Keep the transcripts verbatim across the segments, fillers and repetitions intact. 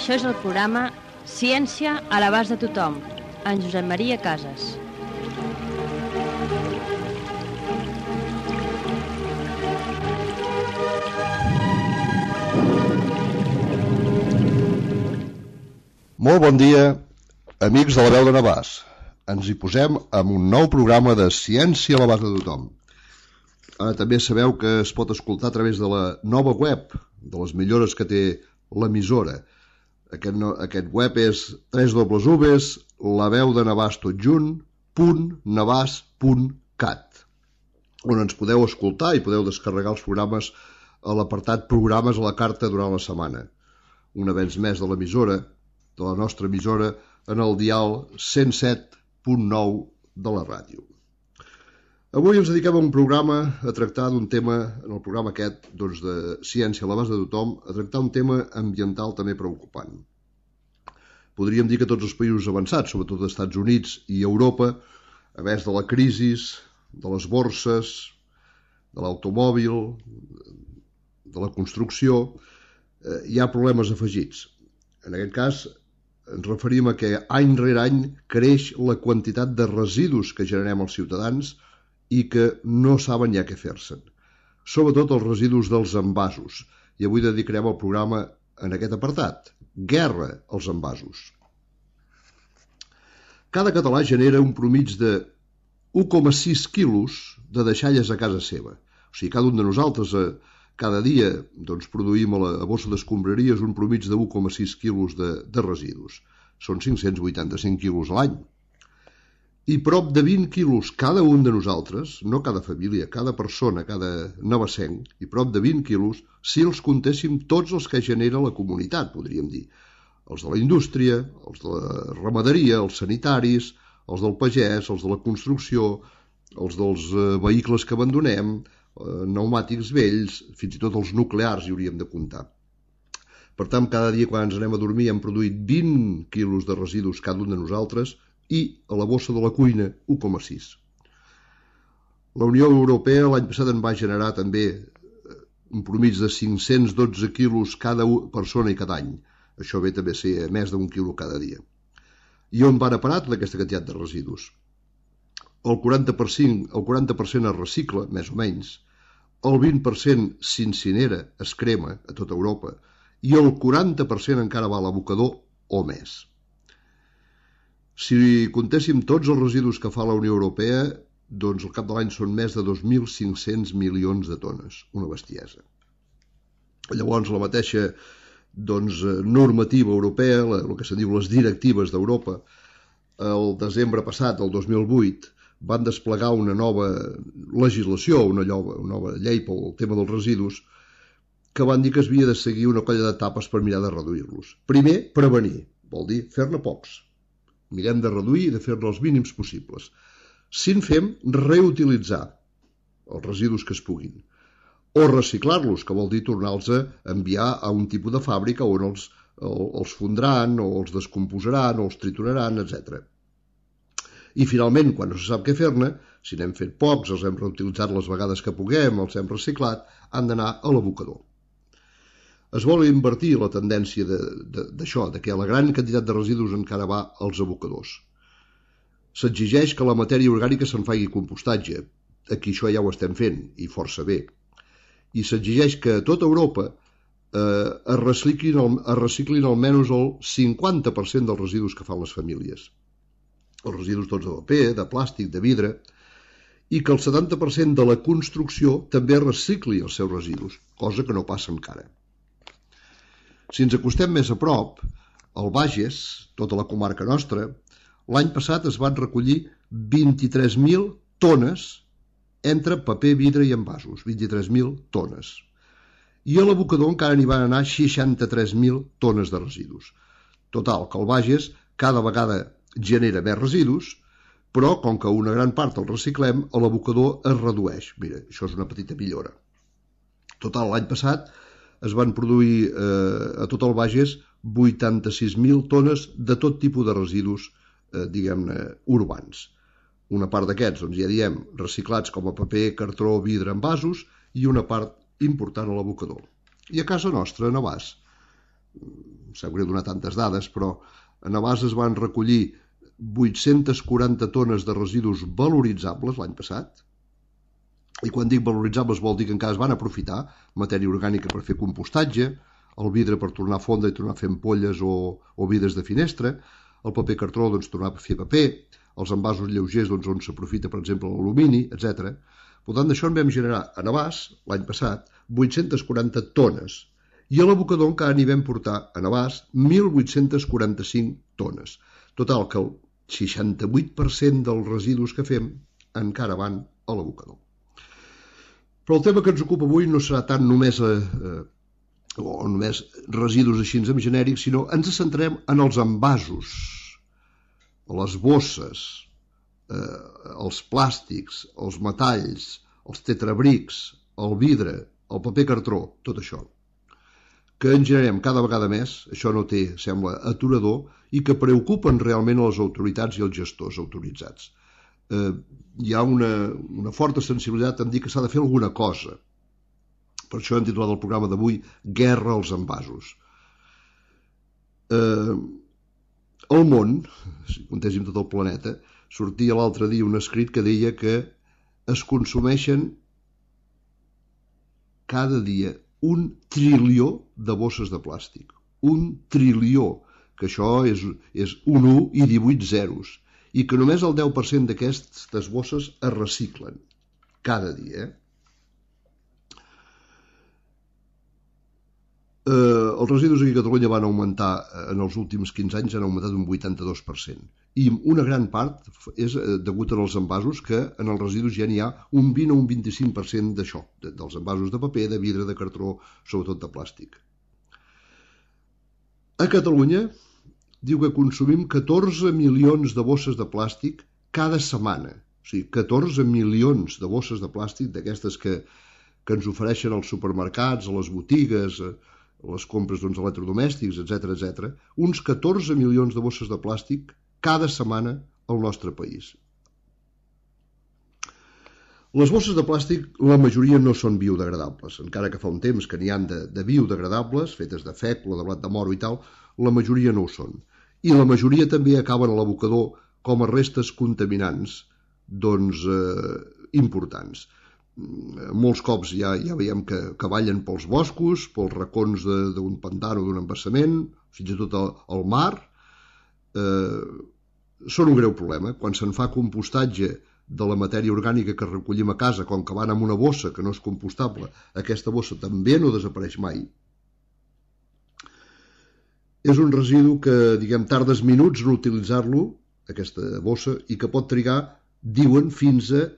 Això és el programa Ciència a l'abast de tothom, en Josep Maria Casas. Molt bon dia, amics de la veu de Navàs. Ens hi posem amb un nou programa de Ciència a l'abast de tothom. Ara també sabeu que es pot escoltar a través de la nova web, de les millores que té l'emissora. Aquest, no, aquest web és w w w punt la veu de navàs tot junt punt navàs punt cat, on ens podeu escoltar i podeu descarregar els programes a l'apartat Programes a la carta durant la setmana. Un avenç més de l'emissora, de la nostra emissora, en el dial cent set punt nou de la ràdio. Avui ens dediquem a un programa a tractar d'un tema, en el programa aquest doncs, de Ciència a l'abast de tothom, a tractar un tema ambiental també preocupant. Podríem dir que tots els països avançats, sobretot els Estats Units i Europa, a més de la crisi, de les borses, de l'automòbil, de la construcció, eh, hi ha problemes afegits. En aquest cas, ens referim a que any rere any creix la quantitat de residus que generem els ciutadans i que no saben ja què fer-se'n. Sobretot els residus dels envasos. I avui dedicarem el programa en aquest apartat. Guerra als envasos. Cada català genera un promig de u coma sis quilos de deixalles a casa seva. O sigui, cada un de nosaltres eh, cada dia doncs, produïm a la bossa d'escombraries un promig de u coma sis quilos de, de residus. Són cinc-cents vuitanta-cinc quilos a l'any. I prop de vint quilos cada un de nosaltres, no cada família, cada persona, cada navassenc, i prop de vint quilos si els comptéssim tots els que genera la comunitat, podríem dir. Els de la indústria, els de la ramaderia, els sanitaris, els del pagès, els de la construcció, els dels eh, vehicles que abandonem, eh, pneumàtics vells, fins i tot els nuclears hi hauríem de comptar. Per tant, cada dia quan ens anem a dormir hem produït vint quilos de residus cada un de nosaltres i a la bossa de la cuina u coma sis. La Unió Europea l'any passat en va generar també un promig de cinc-cents dotze quilos cada persona i cada any. Això ve també a ser més d'un quilo cada dia. I on van a parar tota aquesta quantitat de residus? El quaranta per cent, el quaranta per cent es recicla, més o menys, el vint per cent s'incinera, es crema a tota Europa, i el quaranta per cent encara va a l'abocador o més. Si comptéssim tots els residus que fa la Unió Europea, doncs al cap de l'any són més de dos mil cinc-cents milions de tones, una bestiesa. Llavors la mateixa doncs, normativa europea, la, el que se diu les directives d'Europa, el desembre passat, el dos mil vuit, van desplegar una nova legislació, una nova, una nova llei pel tema dels residus, que van dir que es havia de seguir una colla d'etapes per mirar de reduir-los. Primer, prevenir, vol dir fer-ne pocs. Mirem de reduir i de fer-ne els mínims possibles. Si en fem, reutilitzar els residus que es puguin. O reciclar-los, que vol dir tornar-los a enviar a un tipus de fàbrica on els, els fondran, o els descomposaran, o els trituraran, etcètera. I finalment, quan no se sap què fer-ne, si n'hem fet pocs, els hem reutilitzat les vegades que puguem, els hem reciclat, han d'anar a l'abocador. Es vol invertir la tendència d'això, de, de, de que la gran quantitat de residus encara va als abocadors. S'exigeix que la matèria orgànica se'n faci compostatge. Aquí això ja ho estem fent, i força bé. I s'exigeix que a tota Europa eh, es, reciclin el, es reciclin almenys el cinquanta per cent dels residus que fan les famílies. Els residus tots de paper, de plàstic, de vidre, i que el setanta per cent de la construcció també recicli els seus residus, cosa que no passa encara. Si ens acostem més a prop, al Bages, tota la comarca nostra, l'any passat es van recollir vint-i-tres mil tones entre paper, vidre i envasos, vint-i-tres mil tones. I a l'abocador encara n'hi van anar seixanta-tres mil tones de residus. Total, que el Bages cada vegada genera més residus, però com que una gran part el reciclem, a l'abocador es redueix. Mira, això és una petita millora. Total, l'any passat es van produir eh, a tot el Bages vuitanta-sis mil tones de tot tipus de residus, eh, diguem-ne, urbans. Una part d'aquests, doncs ja diem, reciclats com a paper, cartró, vidre, envasos, i una part important a l'abocador. I a casa nostra, a Navàs, em sap greu donar tantes dades, però a Navàs es van recollir vuit-centes quaranta tones de residus valoritzables l'any passat, i quan dic valoritzables vol dir que encara es van aprofitar matèria orgànica per fer compostatge, el vidre per tornar a fondre i tornar a fer ampolles o, o vidres de finestra, el paper cartró doncs, tornar a fer paper, els envasos lleugers doncs, on s'aprofita per exemple l'alumini, etcètera. Per tant, d'això en vam generar a Navàs l'any passat vuit-centes quaranta tones i a l'abocador encara n'hi vam portar a Navàs mil vuit-cents quaranta-cinc tones. Total, que el seixanta-vuit per cent dels residus que fem encara van a l'abocador. Però el tema que ens ocupa avui no serà tant només, eh, o només residus així en genèric, sinó ens centrem en els envasos, les bosses, eh, els plàstics, els metalls, els tetrabrics, el vidre, el paper cartró, tot això, que en generem cada vegada més, això no té, sembla, aturador, i que preocupen realment a les autoritats i els gestors autoritzats. Eh, hi ha una, una forta sensibilitat en dir que s'ha de fer alguna cosa. Per això hem titulat el programa d'avui Guerra als envasos. Eh, al món, si comptéssim tot el planeta, sortia l'altre dia un escrit que deia que es consumeixen cada dia un trilió de bosses de plàstic. Un trilió, que això és, és un u i divuit zeros, i que només el deu per cent d'aquestes bosses es reciclen cada dia. Eh, els residus aquí a Catalunya van augmentar en els últims quinze anys, han augmentat un vuitanta-dos per cent. I una gran part és degut als envasos, que en els residus ja n'hi ha un vint o un vint-i-cinc per cent d'això, dels envasos de paper, de vidre, de cartró, sobretot de plàstic. A Catalunya diu que consumim catorze milions de bosses de plàstic cada setmana. O sigui, catorze milions de bosses de plàstic d'aquestes que, que ens ofereixen als supermercats, a les botigues, a les compres doncs, electrodomèstics, etcètera, etcètera. Uns catorze milions de bosses de plàstic cada setmana al nostre país. Les bosses de plàstic, la majoria no són biodegradables, encara que fa un temps que n'hi ha de, de biodegradables, fetes de fècula, de blat de moro i tal, la majoria no ho són. I la majoria també acaben a l'abocador com a restes contaminants doncs, eh, importants. Molts cops ja, ja veiem que, que ballen pels boscos, pels racons d'un pantà o d'un embassament, fins i tot al, al mar. Eh, són un greu problema. Quan se'n fa compostatge de la matèria orgànica que recollim a casa, com que van en una bossa que no és compostable, aquesta bossa també no desapareix mai. És un residu que, diguem, tardes minuts en utilitzar-lo, aquesta bossa, i que pot trigar, diuen, fins a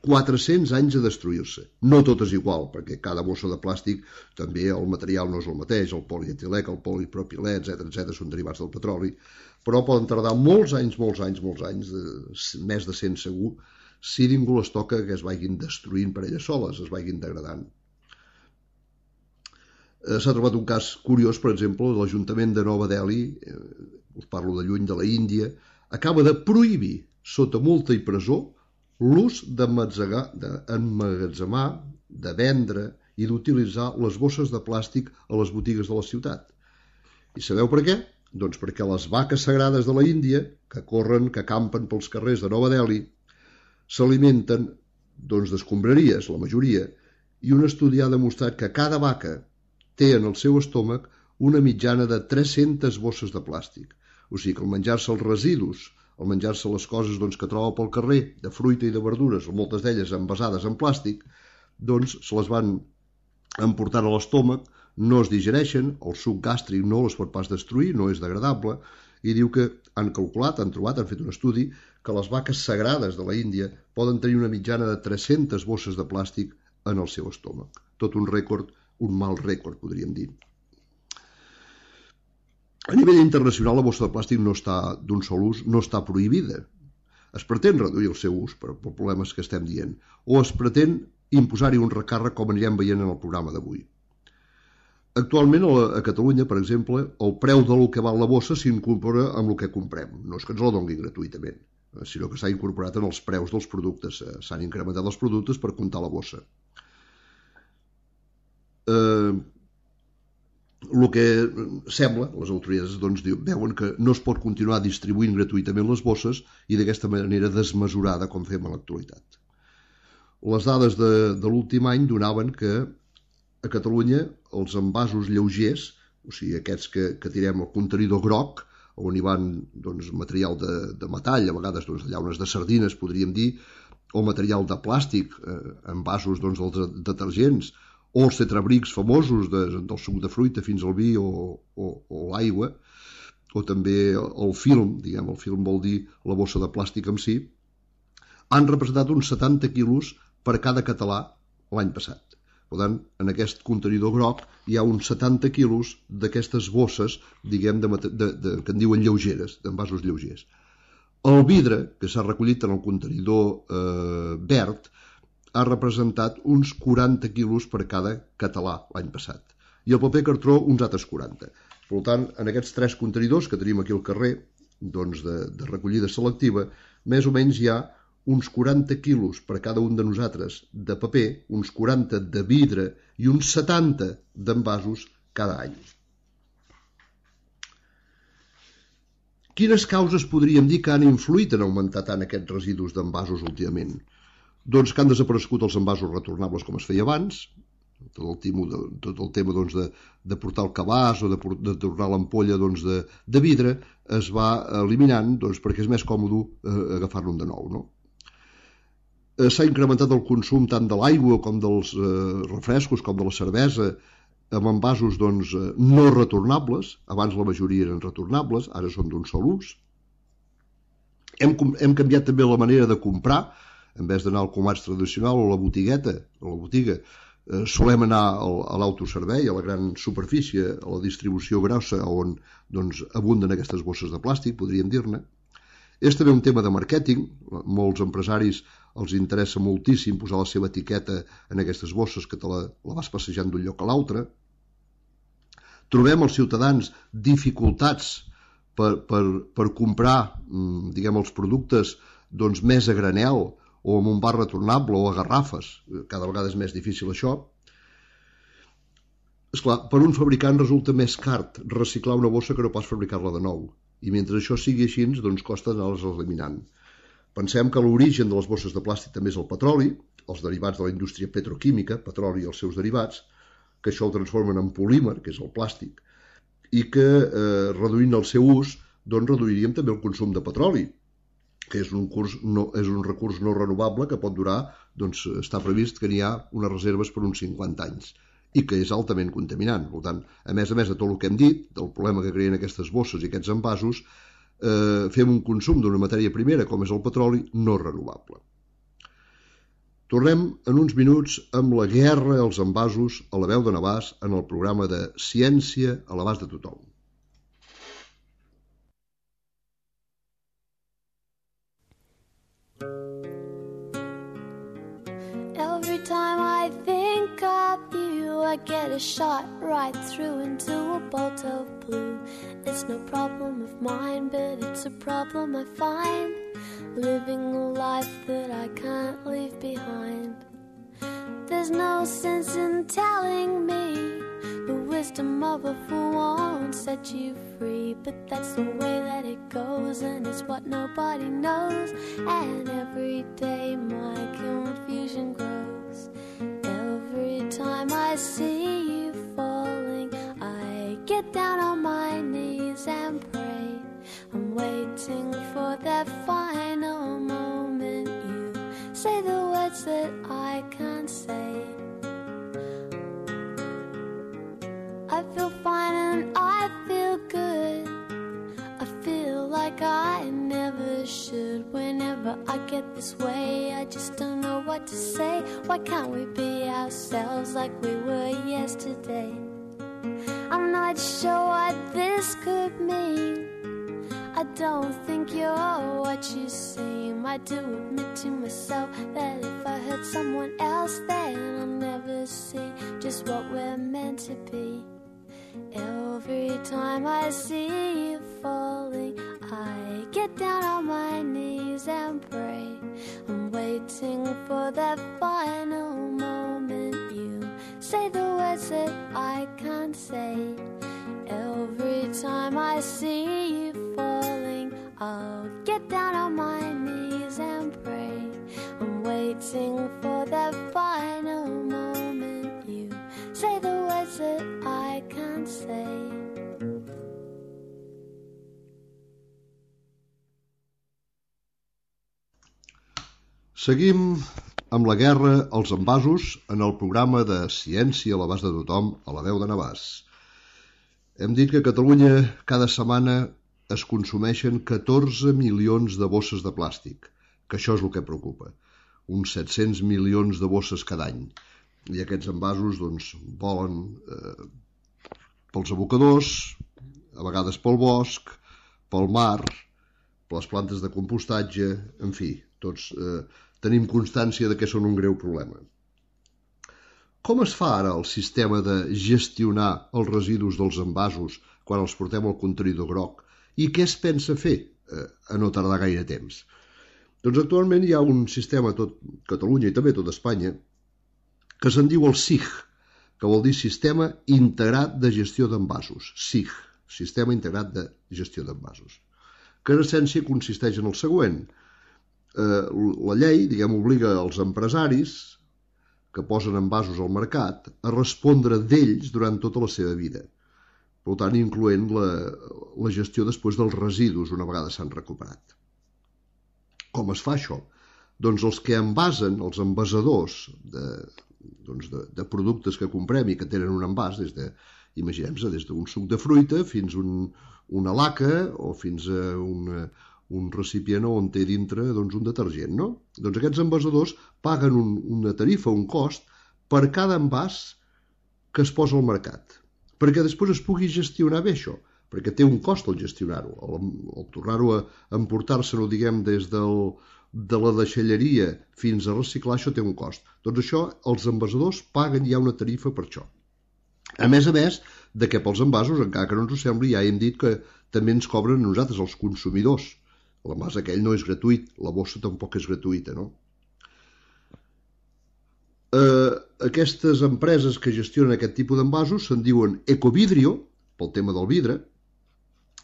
quatre-cents anys a destruir-se. No tot és igual, perquè cada bossa de plàstic també el material no és el mateix, el polietilè, el polipropilè, etcètera, etcètera, són derivats del petroli, però poden tardar molts anys, molts anys, molts anys, de, més de cent segur, si ningú les toca que es vagin destruint per elles soles, es vagin degradant. S'ha trobat un cas curiós, per exemple, l'Ajuntament de Nova Delhi, eh, us parlo de lluny, de la Índia, acaba de prohibir, sota multa i presó, l'ús d'emmagatzemar, de vendre i d'utilitzar les bosses de plàstic a les botigues de la ciutat. I sabeu per què? Doncs perquè les vaques sagrades de la Índia, que corren, que campen pels carrers de Nova Delhi, s'alimenten doncs, d'escombraries, la majoria, i un estudi ha demostrat que cada vaca té en el seu estómac una mitjana de tres-centes bosses de plàstic. O sigui que al menjar-se els residus, al menjar-se les coses doncs, que troba pel carrer, de fruita i de verdures, moltes d'elles envasades en plàstic, doncs se les van emportant a l'estómac, no es digereixen, el suc gàstric no les pot pas destruir, no és degradable, i diu que han calculat, han trobat, han fet un estudi, que les vaques sagrades de la Índia poden tenir una mitjana de tres-centes bosses de plàstic en el seu estómac. Tot un rècord, un mal rècord, podríem dir. A nivell internacional, la bossa de plàstic no està d'un sol ús, no està prohibida. Es pretén reduir el seu ús per, per problemes que estem dient, o es pretén imposar-hi un recàrrec, com anirem veient en el programa d'avui. Actualment, a Catalunya, per exemple, el preu del que val la bossa s'incorpora amb el que comprem. No és que ens la donguin gratuïtament, sinó que s'ha incorporat en els preus dels productes. S'han incrementat els productes per comptar la bossa. Eh, el que sembla, les autoritats doncs, veuen que no es pot continuar distribuint gratuïtament les bosses i d'aquesta manera desmesurada com fem a l'actualitat. Les dades de, de l'últim any donaven que a Catalunya els envasos lleugers, o sigui, aquests que, que tirem al contenidor groc, on hi van doncs, material de, de metall, a vegades doncs, llaunes de sardines, podríem dir, o material de plàstic, eh, envasos doncs, dels detergents, o els tetrabrics famosos de, del suc de fruita fins al vi o, o, o l'aigua, o també el film, diguem, el film vol dir la bossa de plàstic en si, han representat uns setanta quilos per cada català l'any passat. Per tant, en aquest contenidor groc hi ha uns setanta quilos d'aquestes bosses, diguem, de, de, de, que en diuen lleugeres, d'envasos lleugers. El vidre, que s'ha recollit en el contenidor eh, verd, ha representat uns quaranta quilos per cada català l'any passat. I el paper cartró uns altres quaranta. Per tant, en aquests tres contenidors que tenim aquí al carrer, doncs de, de recollida selectiva, més o menys hi ha uns quaranta quilos per cada un de nosaltres de paper, uns quaranta de vidre i uns setanta d'envasos cada any. Quines causes podríem dir que han influït en augmentar tant aquests residus d'envasos últimament? Doncs que han desaparegut els envasos retornables com es feia abans, tot el tema, de, tot el tema doncs, de, de portar el cabàs o de, de tornar l'ampolla doncs, de, de vidre es va eliminant doncs, perquè és més còmode eh, agafar-lo de nou. No? Eh, s'ha incrementat el consum tant de l'aigua com dels eh, refrescos com de la cervesa amb envasos doncs, no retornables. Abans la majoria eren retornables, ara són d'un sol ús. Hem, hem canviat també la manera de comprar. En vez d'anar al comerç tradicional o a la botigueta, a la botiga, eh, solem anar al, a l'autoservei, a la gran superfície, a la distribució grossa, on doncs, abunden aquestes bosses de plàstic, podríem dir-ne. És també un tema de màrqueting. Molts empresaris els interessa moltíssim posar la seva etiqueta en aquestes bosses que te la, la vas passejant d'un lloc a l'altre. Trobem els ciutadans dificultats per, per, per comprar diguem, els productes doncs, més a granel, o amb un bar retornable o a garrafes. Cada vegada és més difícil això. Esclar, per un fabricant resulta més car reciclar una bossa que no pas fabricar-la de nou. I mentre això sigui així, doncs costa anar-les eliminant. Pensem que l'origen de les bosses de plàstic també és el petroli, els derivats de la indústria petroquímica, petroli i els seus derivats, que això ho transformen en polímer, que és el plàstic, i que eh, reduint el seu ús, doncs reduiríem també el consum de petroli, que és un, curs no, és un recurs no renovable que pot durar, doncs està previst que n'hi ha unes reserves per uns cinquanta anys i que és altament contaminant. Per tant, a més a més de tot el que hem dit, del problema que creen aquestes bosses i aquests envasos, eh, fem un consum d'una matèria primera, com és el petroli, no renovable. Tornem en uns minuts amb la guerra als envasos a la veu de Navàs en el programa de Ciència a l'abast de tothom. Every time I think of you, I get a shot right through into a bolt of blue. It's no problem of mine, but it's a problem I find, living a life that I can't leave behind. There's no sense in telling me the wisdom of a fool won't set you free, but that's the way that it goes, and it's what nobody knows. And every day my confusion grows. Every time I see you falling, I get down on my knees and pray. I'm waiting for that final moment you say the words that I can't say. I feel fine and I feel good. I feel like I never should. Whenever I get this way, I just don't know what to say. Why can't we be ourselves like we were yesterday? I'm not sure what this could mean. I don't think you're what you seem. I do admit to myself that if I hurt someone else, then I'll never see just what we're meant to be. Every time I see you falling, I get down on my knees and pray. I'm waiting for that final moment you say the words was it? I can't say. Every time I see you falling, I'll get down on my knees and pray. I'm waiting for that final moment. You say the words that I can't say. Seguim amb la guerra als envasos en el programa de Ciència a l'abast de tothom a la veu de Navàs. Hem dit que a Catalunya cada setmana es consumeixen catorze milions de bosses de plàstic, que això és el que preocupa, uns set-cents milions de bosses cada any. I aquests envasos doncs, volen eh, pels abocadors, a vegades pel bosc, pel mar, per les plantes de compostatge, en fi, tots eh, tenim constància de que són un greu problema. Com es fa ara el sistema de gestionar els residus dels envasos quan els portem al contenidor groc? I què es pensa fer eh, a no tardar gaire temps? Doncs actualment hi ha un sistema a tot Catalunya i també a tot Espanya que se'n diu el S I G, que vol dir Sistema Integrat de Gestió d'Envasos. S I G, Sistema Integrat de Gestió d'Envasos, que en essència consisteix en el següent. Eh, la llei, diguem, obliga els empresaris que posen envasos al mercat a respondre d'ells durant tota la seva vida, per tant incloent la, la gestió després dels residus una vegada s'han recuperat. Com es fa això? Doncs els que envasen, els envasadors de, doncs de, de productes que comprem i que tenen un envàs, des de, imaginem-se, des d'un suc de fruita fins a un, una laca o fins a una un recipient on té dintre doncs, un detergent, no? Doncs aquests envasadors paguen un, una tarifa, un cost, per cada envàs que es posa al mercat, perquè després es pugui gestionar bé això, perquè té un cost el gestionar-ho, el, el tornar-ho a emportar-se-no, diguem, des del, de la deixalleria fins a reciclar, això té un cost. Doncs això, els envasadors paguen ja una tarifa per això. A més a més, de que pels envasos, encara que no ens ho sembli, ja hem dit que també ens cobren a nosaltres, els consumidors. L'envàs aquell no és gratuït, la bossa tampoc és gratuïta, no? Eh, aquestes empreses que gestionen aquest tipus d'envasos se'n diuen Ecovidrio, pel tema del vidre,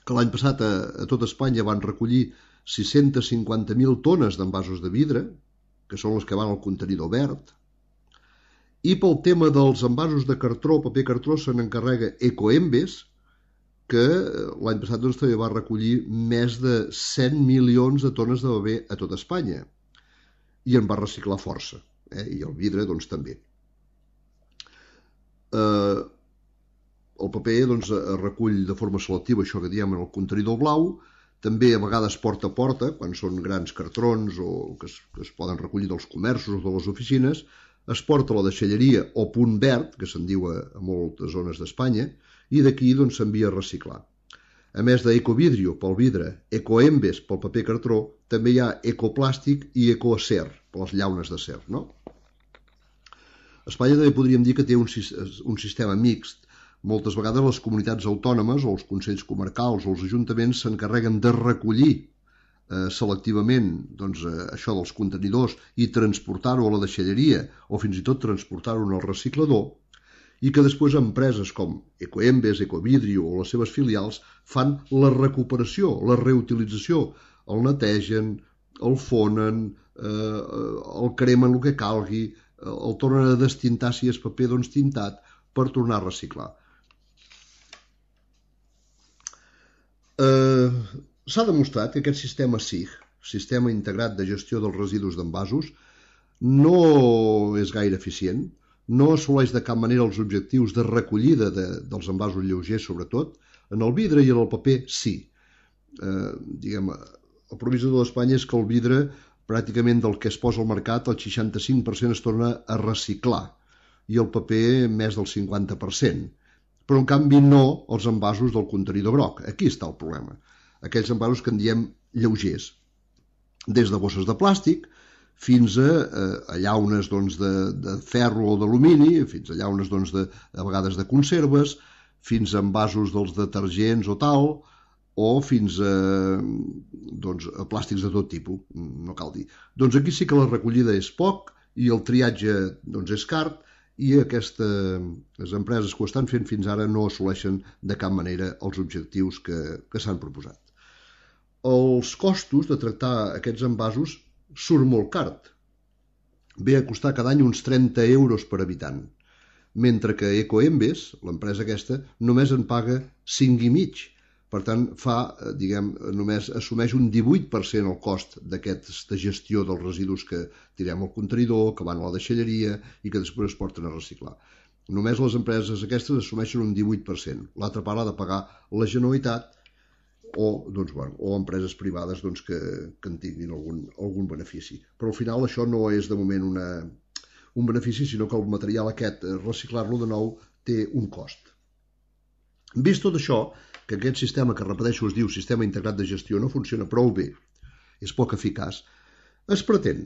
que l'any passat a, a tot Espanya van recollir sis-centes cinquanta mil tones d'envasos de vidre, que són les que van al contenidor verd, i pel tema dels envasos de cartró, paper cartró, se n'encarrega Ecoembes, que l'any passat doncs, també va recollir més de cent milions de tones de paper a tot Espanya i en va reciclar força, eh? I el vidre doncs, també. Eh, el paper doncs, es recull de forma selectiva, això que diem en el contenidor blau, també a vegades porta a porta, quan són grans cartrons o que es, que es poden recollir dels comerços o de les oficines, es porta a la deixalleria o punt verd, que se'n diu a, a moltes zones d'Espanya, i d'aquí doncs, s'envia a reciclar. A més d'Ecovidrio pel vidre, Ecoembes pel paper cartró, també hi ha Ecoplàstic i Ecoacer per les llaunes d'acer, no? Espanya també podríem dir que té un, un sistema mixt. Moltes vegades les comunitats autònomes o els consells comarcals o els ajuntaments s'encarreguen de recollir eh, selectivament doncs, eh, això dels contenidors i transportar-ho a la deixalleria o fins i tot transportar-ho al reciclador, i que després empreses com Ecoembes, Ecovidrio o les seves filials fan la recuperació, la reutilització, el netegen, el fonen, eh, el cremen el que calgui, el tornen a destintar si és paper doncs tintat per tornar a reciclar. Eh, s'ha demostrat que aquest sistema S I G, Sistema Integrat de Gestió dels Residus d'Envasos, no és gaire eficient, no assoleix de cap manera els objectius de recollida de, dels envasos lleugers, sobretot. En el vidre i en el paper, sí. Eh, diguem, el provisador d'Espanya és que el vidre, pràcticament del que es posa al mercat, el seixanta-cinc per cent es torna a reciclar i el paper més del cinquanta per cent. Però, en canvi, no els envasos del contenidor groc. Aquí està el problema. Aquells envasos que en diem lleugers. Des de bosses de plàstic fins a, a llaunes doncs, de, de ferro o d'alumini, fins a llaunes doncs, de, a vegades de conserves, fins a envasos dels detergents o tal, o fins a, doncs, a plàstics de tot tipus, no cal dir. Doncs aquí sí que la recollida és poc i el triatge doncs, és car i aquestes empreses que ho estan fent fins ara no assoleixen de cap manera els objectius que, que s'han proposat. Els costos de tractar aquests envasos surt molt car. Ve a costar cada any uns trenta euros per habitant, mentre que Ecoembes, l'empresa aquesta, només en paga cinc i mig. Per tant, fa, diguem, només assumeix un divuit per cent el cost d'aquesta gestió dels residus que tirem al contenidor, que van a la deixalleria i que després es porten a reciclar. Només les empreses aquestes assumeixen un divuit per cent. L'altra part ha de pagar la Generalitat o, doncs, bueno, o empreses privades doncs, que, que en tinguin algun, algun benefici. Però al final això no és de moment una, un benefici, sinó que el material aquest, reciclar-lo de nou, té un cost. Vist tot això, que aquest sistema, que repeteixo es diu Sistema Integrat de Gestió, no funciona prou bé, és poc eficaç, es pretén,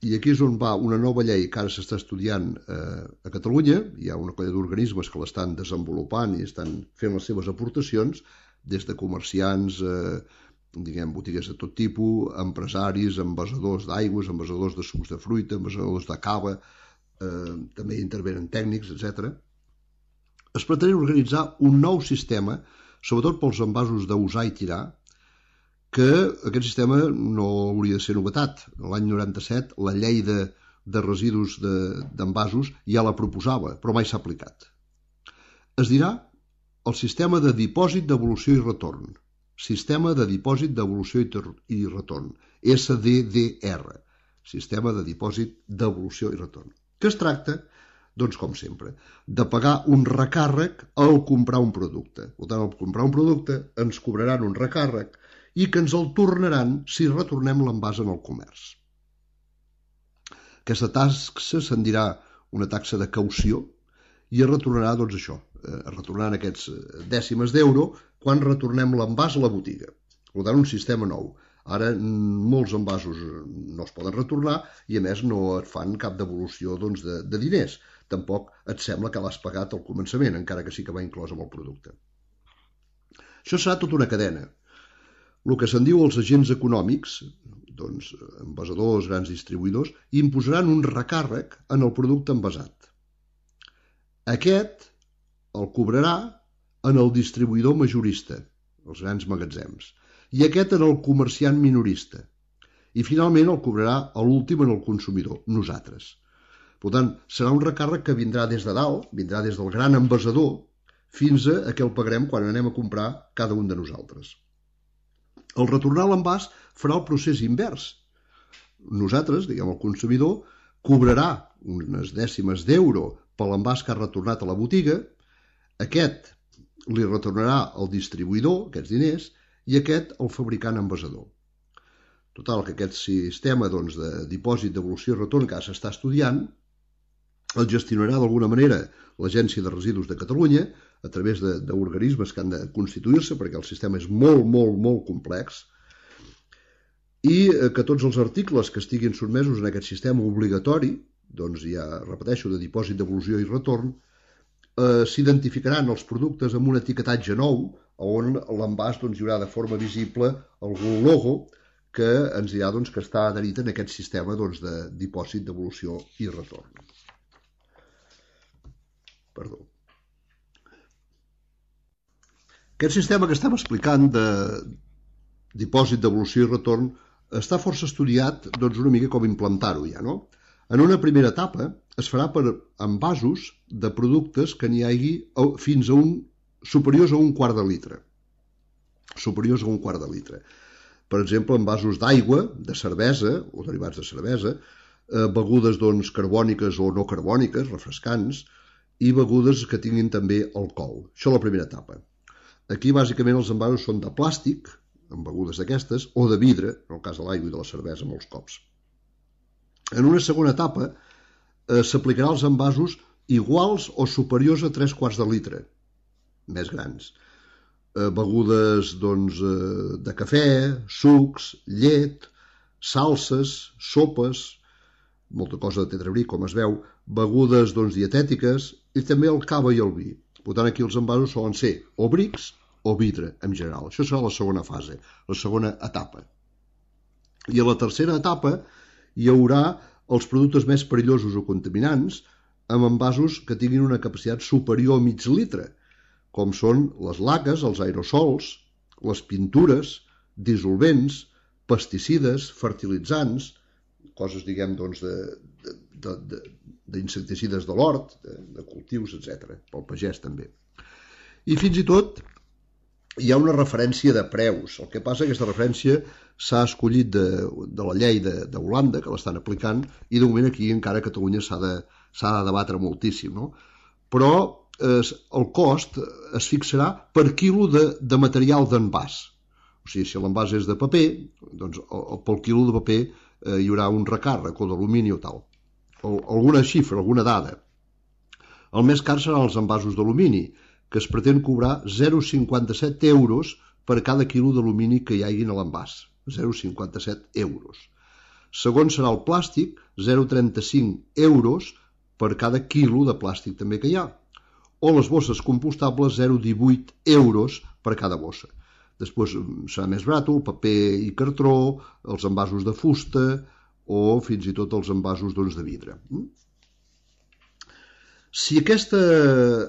i aquí és on va una nova llei que ara s'està estudiant eh, a Catalunya, hi ha una colla d'organismes que l'estan desenvolupant i estan fent les seves aportacions, des de comerciants, eh, diguem, botigues de tot tipus, empresaris, envasadors d'aigües, envasadors de sucs de fruita, envasadors de cava, eh, també intervenen tècnics, etcètera. Es pretén organitzar un nou sistema, sobretot pels envasos d'usar i tirar, que aquest sistema no hauria de ser novetat. L'any noranta-set la llei de, de residus d'envasos de, ja la proposava, però mai s'ha aplicat. Es dirà el sistema de dipòsit devolució i retorn. Sistema de dipòsit devolució i retorn. S D D R. Sistema de dipòsit devolució i retorn. Que es tracta, doncs com sempre, de pagar un recàrrec al comprar un producte. Per tant, al comprar un producte ens cobraran un recàrrec i que ens el tornaran si retornem l'envàs en el comerç. Aquesta taxa se'n dirà una taxa de caució i es retornarà, doncs això, es retornaran aquests dècimes d'euro quan retornem l'envàs a la botiga. Per tant, un sistema nou. Ara molts envasos no es poden retornar i a més no et fan cap devolució doncs, de, de diners. Tampoc et sembla que l'has pagat al començament, encara que sí que va inclòs amb el producte. Això serà tota una cadena. El que se'n diu els agents econòmics, doncs, envasadors, grans distribuïdors, imposaran un recàrrec en el producte envasat. Aquest el cobrarà en el distribuïdor majorista, els grans magatzems, i aquest en el comerciant minorista. I finalment el cobrarà a l'últim en el consumidor, nosaltres. Per tant, serà un recàrrec que vindrà des de dalt, vindrà des del gran envasador, fins a que el pagarem quan anem a comprar cada un de nosaltres. El retornar l'envàs farà el procés invers. Nosaltres, diguem, el consumidor, cobrarà unes dècimes d'euro per l'envàs que ha retornat a la botiga, aquest li retornarà al distribuïdor, aquests diners, i aquest al fabricant envasador. Total, que aquest sistema doncs, de dipòsit, devolució i retorn que ara s'està estudiant el gestionarà d'alguna manera l'Agència de Residus de Catalunya a través d'organismes que han de constituir-se perquè el sistema és molt, molt, molt complex i que tots els articles que estiguin sotmesos en aquest sistema obligatori, doncs ja repeteixo, de dipòsit, devolució i retorn, eh, s'identificaran els productes amb un etiquetatge nou on l'envàs doncs, hi haurà de forma visible algun logo que ens dirà doncs, que està adherit en aquest sistema doncs, de dipòsit, devolució i retorn. Perdó. Aquest sistema que estem explicant de dipòsit, devolució i retorn està força estudiat doncs, una mica com implantar-ho ja, no? En una primera etapa es farà per envasos de productes que n'hi hagi fins a un superiors a un quart de litre. Superiors a un quart de litre. Per exemple, envasos d'aigua, de cervesa o derivats de cervesa, eh, begudes doncs, carbòniques o no carbòniques, refrescants, i begudes que tinguin també alcohol. Això és la primera etapa. Aquí, bàsicament, els envasos són de plàstic, amb begudes d'aquestes, o de vidre, en el cas de l'aigua i de la cervesa, molts cops. En una segona etapa, eh, s'aplicarà als envasos iguals o superiors a tres quarts de litre, més grans. Eh, begudes doncs, eh, de cafè, sucs, llet, salses, sopes, molta cosa de tetrabric, com es veu, begudes doncs, dietètiques i també el cava i el vi. Per tant, aquí els envasos solen ser o brics o vidre, en general. Això serà la segona fase, la segona etapa. I a la tercera etapa hi haurà els productes més perillosos o contaminants amb envasos que tinguin una capacitat superior a mig litre, com són les laques, els aerosols, les pintures, dissolvents, pesticides, fertilitzants, coses, diguem, doncs, d'insecticides de l'hort, de, de cultius, etcètera, pel pagès també. I fins i tot hi ha una referència de preus. El que passa és que aquesta referència s'ha escollit de, de la llei d'Holanda, que l'estan aplicant, i de moment aquí encara a Catalunya s'ha de, s'ha de debatre moltíssim, no? Però eh, el cost es fixarà per quilo de, de material d'envàs. O sigui, si l'envàs és de paper, doncs el, pel quilo de paper eh, hi haurà un recàrrec, o d'alumini o tal. O, alguna xifra, alguna dada. El més car seran els envasos d'alumini, que es pretén cobrar zero coma cinquanta-set euros per cada quilo d'alumini que hi hagi a l'envàs. zero coma cinquanta-set euros. Segon serà el plàstic, zero coma trenta-cinc euros per cada quilo de plàstic també que hi ha. O les bosses compostables, zero coma divuit euros per cada bossa. Després serà més barat el paper i cartró, els envasos de fusta o fins i tot els envasos doncs, de vidre. Si aquest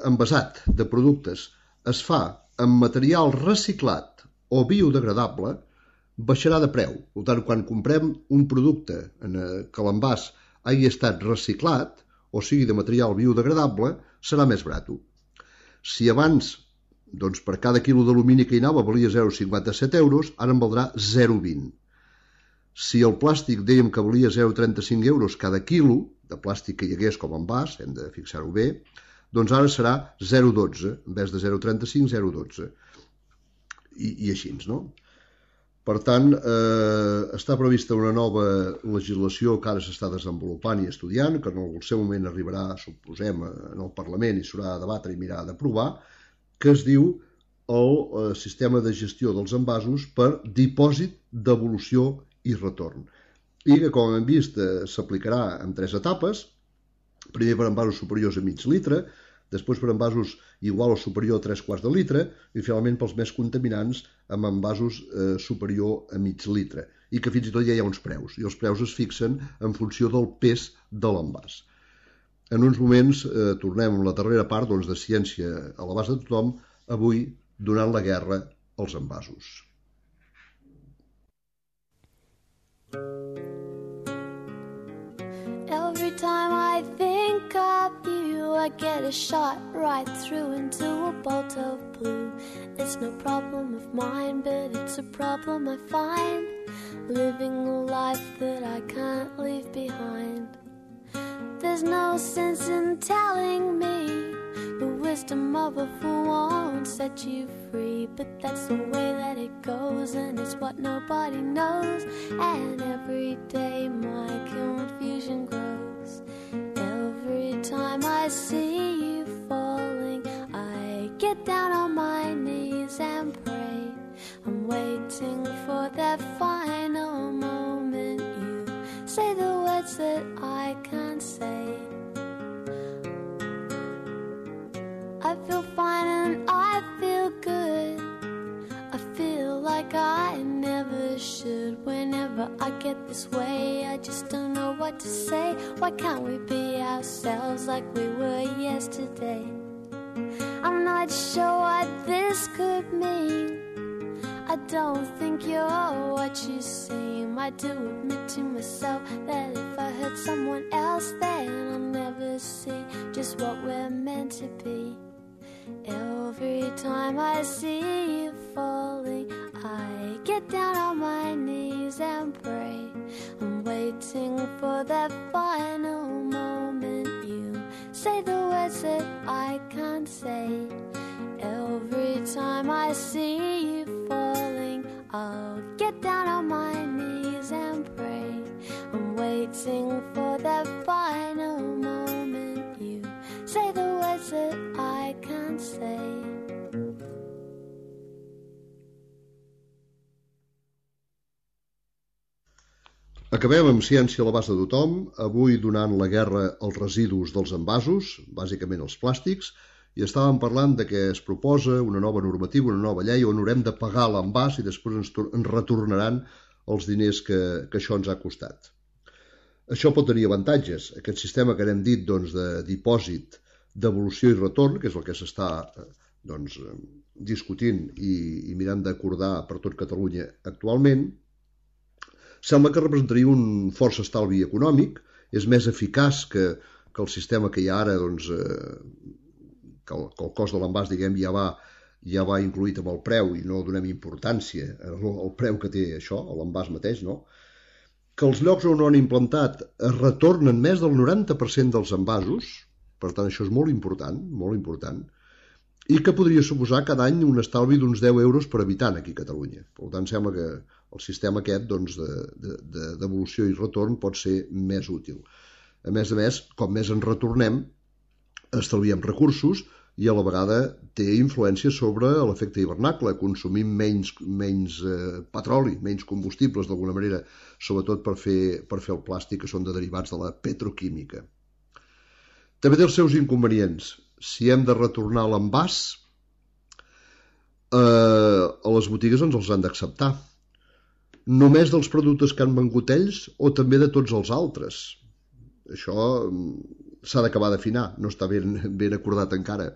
envasat de productes es fa amb material reciclat o biodegradable, baixarà de preu. Per tant, quan comprem un producte en que l'envàs hagi estat reciclat, o sigui de material biodegradable, serà més barat. Si abans, doncs, per cada quilo d'alumini que hi anava valia zero coma cinquanta-set euros, ara en valdrà zero coma vint. Si el plàstic dèiem que valia zero coma trenta-cinc euros cada quilo de plàstic que hi hagués com a envàs, hem de fixar-ho bé, doncs ara serà zero coma dotze, en vez de zero coma trenta-cinc, zero coma dotze. I, i així, no? Per tant, eh, està prevista una nova legislació que ara s'està desenvolupant i estudiant, que en el seu moment arribarà, suposem, en el Parlament i s'haurà de debatre i mirar d'aprovar, que es diu el sistema de gestió dels envasos per dipòsit, devolució i retorn. I que, com hem vist, s'aplicarà en tres etapes, primer per envasos superiors a mig litre, després per envasos igual o superior a tres quarts de litre i finalment pels més contaminants amb envasos eh, superior a mig litre. I que fins i tot ja hi ha uns preus, i els preus es fixen en funció del pes de l'envàs. En uns moments eh, tornem a la darrera part doncs, de Ciència a l'abast de tothom, avui donant la guerra als envasos. Every time I think of you, I get a shot right through into a bolt of blue. It's no problem of mine, but it's a problem I find, living a life that I can't leave behind. There's no sense in telling me the wisdom of a fool won't set you free, but that's the way that it goes, and it's what nobody knows. And every day my confusion grows. Every time I see you falling, I get down on my knees and pray. I'm waiting for that final moment you say the words that I can't say. I feel fine and I feel good. I feel like I never should. Whenever I get this way, I just don't know what to say. Why can't we be ourselves like we were yesterday? I'm not sure what this could mean. I don't think you're what you seem. I do admit to myself that if I hurt someone else, then I'll never see just what we're meant to be. Every time I see you falling, I get down on my knees and pray. I'm waiting for that final moment you say the words that I can't say. Every time I see you falling, I'll get down on my knees and pray. I'm waiting for that final moment you say the words that I can't say. Acabem amb Ciència a l'abast de tothom, avui donant la guerra als residus dels envasos, bàsicament els plàstics, i estàvem parlant de que es proposa una nova normativa, una nova llei on haurem de pagar l'envàs i després ens, ens retornaran els diners que, que això ens ha costat. Això pot tenir avantatges. Aquest sistema que n'hem dit doncs, de dipòsit, devolució i retorn, que és el que s'està doncs, discutint i, i mirant d'acordar per tot Catalunya actualment, sembla que representaria un força estalvi econòmic, és més eficaç que, que el sistema que hi ha ara, doncs, eh, que, el, que el cost de l'envàs, diguem, ja va, ja va incluït amb el preu i no donem importància al, al preu que té això, l'envàs mateix, no? Que els llocs on ho han implantat es retornen més del noranta per cent dels envasos, per tant això és molt important, molt important, i que podria suposar cada any un estalvi d'uns deu euros per habitant aquí a Catalunya. Per tant, sembla que el sistema aquest doncs, de, de, de devolució i retorn pot ser més útil. A més a més, com més en retornem, estalviem recursos i a la vegada té influència sobre l'efecte hivernacle. Consumim menys, menys eh, petroli, menys combustibles d'alguna manera, sobretot per fer, per fer el plàstic, que són de derivats de la petroquímica. També té els seus inconvenients. Si hem de retornar l'envàs, eh, a les botigues ens els han d'acceptar. Només dels productes que han vengut ells o també de tots els altres? Això s'ha d'acabar d'afinar, no està ben, ben acordat encara.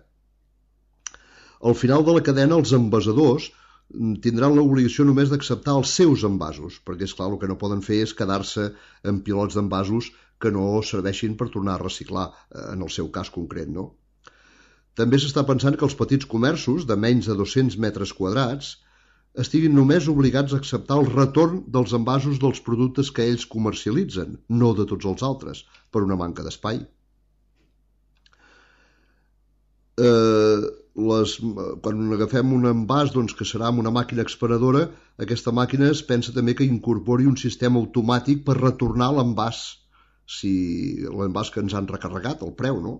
Al final de la cadena, els envasadors tindran l'obligació només d'acceptar els seus envasos, perquè, esclar, el que no poden fer és quedar-se amb pilots d'envasos que no serveixin per tornar a reciclar, en el seu cas concret, no? També s'està pensant que els petits comerços de menys de dos-cents metres quadrats estiguin només obligats a acceptar el retorn dels envasos dels productes que ells comercialitzen, no de tots els altres, per una manca d'espai. Eh, les, quan agafem un envàs doncs, que serà amb una màquina expenedora, aquesta màquina es pensa també que incorpori un sistema automàtic per retornar l'envàs, si l'envàs que ens han recarregat, el preu, no?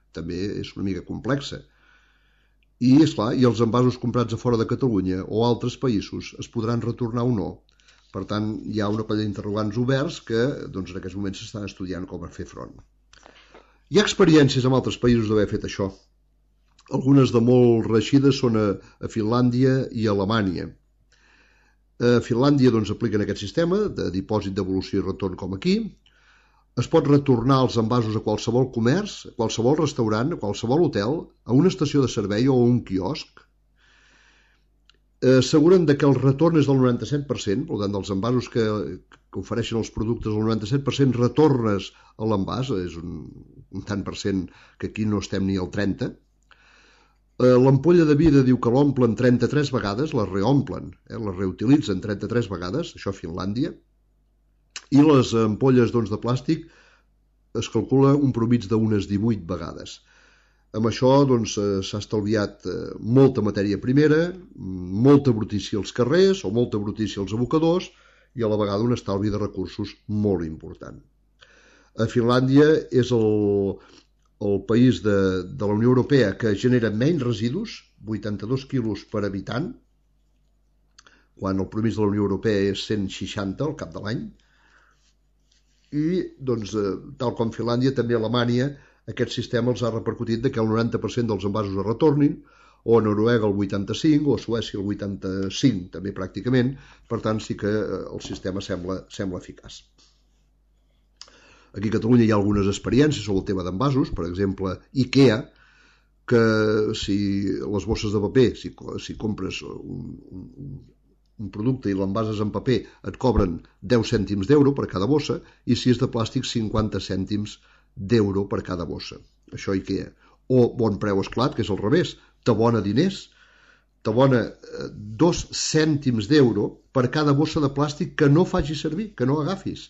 També és una mica complexa. I, esclar, i els envasos comprats a fora de Catalunya o altres països es podran retornar o no. Per tant, hi ha una colla d'interrogants oberts que doncs, en aquests moments s'estan estudiant com a fer front. Hi ha experiències en altres països d'haver fet això. Algunes de molt reeixides són a, a Finlàndia i a Alemanya. A Finlàndia doncs, apliquen aquest sistema de dipòsit, devolució i retorn com aquí. Es pot retornar els envasos a qualsevol comerç, a qualsevol restaurant, a qualsevol hotel, a una estació de servei o a un quiosc. Asseguren que el retorn és del noranta-set per cent, per tant, dels envasos que, que ofereixen els productes, el noranta-set per cent retornes a l'envàs, és un, un tant per cent que aquí no estem ni al trenta. L'ampolla de vidre diu que l'omplen trenta-tres vegades, la reomplen, eh, la reutilitzen trenta-tres vegades, això a Finlàndia. I les ampolles doncs, de plàstic es calcula un promig d'unes divuit vegades. Amb això doncs, s'ha estalviat molta matèria primera, molta brutícia als carrers o molta brutícia als abocadors i a la vegada un estalvi de recursos molt important. A Finlàndia és el, el país de, de la Unió Europea que genera menys residus, vuitanta-dos quilos per habitant, quan el promig de la Unió Europea és cent seixanta al cap de l'any. I, doncs, tal com Finlàndia, també a Alemanya, aquest sistema els ha repercutit que el noranta per cent dels envasos es retornin, o a Noruega el vuitanta-cinc, o a Suècia el vuitanta-cinc, també pràcticament. Per tant, sí que el sistema sembla, sembla eficaç. Aquí a Catalunya hi ha algunes experiències sobre el tema d'envasos, per exemple, IKEA, que si les bosses de paper, si, si compres un, un, un producte i l'envases en paper et cobren deu cèntims d'euro per cada bossa i si és de plàstic cinquanta cèntims d'euro per cada bossa. Això IKEA. O Bon Preu Esclat, que és al revés, t'abona diners, t'abona dos cèntims d'euro per cada bossa de plàstic que no facis servir, que no agafis.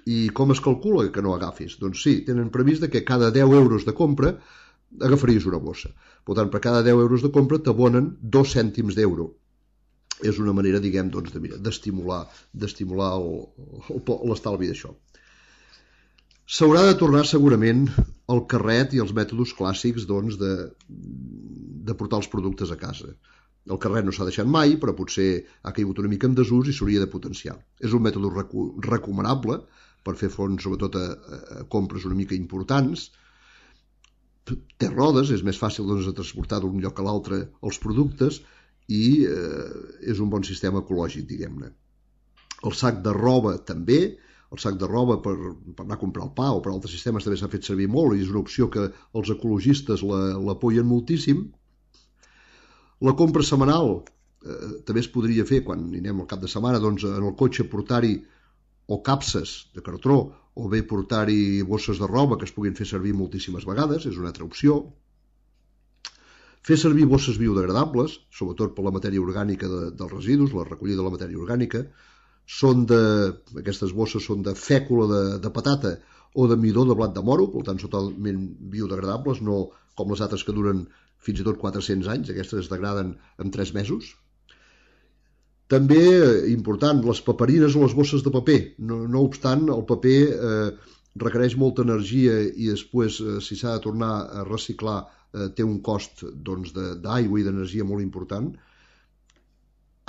I com es calcula que no agafis? Doncs sí, tenen previst que cada deu euros de compra agafaries una bossa. Per tant, per cada deu euros de compra t'abonen dos cèntims d'euro. És una manera, diguem, doncs, d'estimular d'estimular l'estalvi d'això. S'haurà de tornar segurament el carret i els mètodes clàssics doncs, de, de portar els productes a casa. El carret no s'ha deixat mai, però potser ha caigut una mica en desús i s'hauria de potenciar. És un mètode recu recomanable per fer front sobretot a, a compres una mica importants. Té rodes, és més fàcil doncs, de transportar d'un lloc a l'altre els productes, i eh, és un bon sistema ecològic, diguem-ne. El sac de roba també, el sac de roba per, per anar a comprar el pa, o per altres sistemes també s'ha fet servir molt i és una opció que els ecologistes l'apoyen moltíssim. La compra setmanal eh, també es podria fer quan anem al cap de setmana, doncs en el cotxe portar-hi o capses de cartró o bé portar-hi bosses de roba que es puguin fer servir moltíssimes vegades, és una altra opció. Fer servir bosses biodegradables, sobretot per la matèria orgànica de, dels residus, la recollida de la matèria orgànica, són de, aquestes bosses són de fècula de, de patata o de midó de blat de moro, per tant són totalment biodegradables, no com les altres que duren fins i tot quatre-cents anys, aquestes es degraden en tres mesos. També, important, les paperines o les bosses de paper. No, no obstant, el paper eh, requereix molta energia i després, eh, si s'ha de tornar a reciclar, eh, té un cost doncs, d'aigua i d'energia molt important.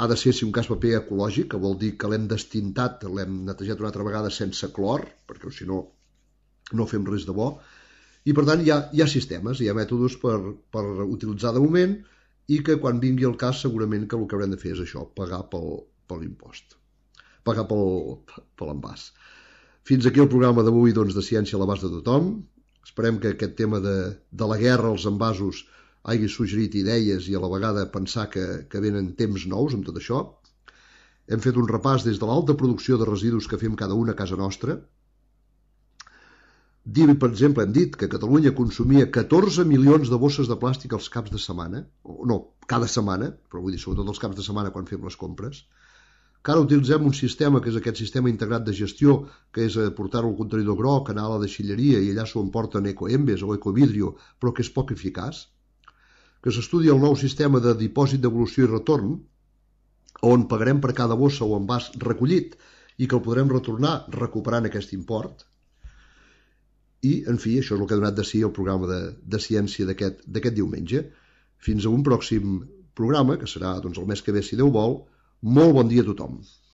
Ha de ser, si un cas, paper ecològic, que vol dir que l'hem destintat, l'hem netejat una altra vegada sense clor, perquè si no, no fem res de bo. I, per tant, hi ha, hi ha sistemes, hi ha mètodes per, per utilitzar de moment, i que quan vingui el cas segurament que el que haurem de fer és això, pagar pel, per l'impost, pagar pel, per l'envàs. Fins aquí el programa d'avui doncs, de Ciència a l'abast de tothom. Esperem que aquest tema de, de la guerra als envasos hagi suggerit idees i a la vegada pensar que, que venen temps nous amb tot això. Hem fet un repàs des de l'alta producció de residus que fem cada un a casa nostra. Dir, per exemple, hem dit que Catalunya consumia catorze milions de bosses de plàstic als caps de setmana, o no, cada setmana, però vull dir, sobretot els caps de setmana quan fem les compres, que ara utilitzem un sistema, que és aquest sistema integrat de gestió, que és portar-ho al contenidor groc, anar a la deixilleria i allà s'ho emporten ecoembes o ecovidrio, però que és poc eficaç, que s'estudia el nou sistema de dipòsit devolució i retorn, on pagarem per cada bossa o envàs recollit i que el podrem retornar recuperant aquest import. I, en fi, això és el que ha donat de si el programa de, de ciència d'aquest diumenge. Fins a un pròxim programa, que serà doncs, el mes que ve, si Déu vol. Molt bon dia a tothom.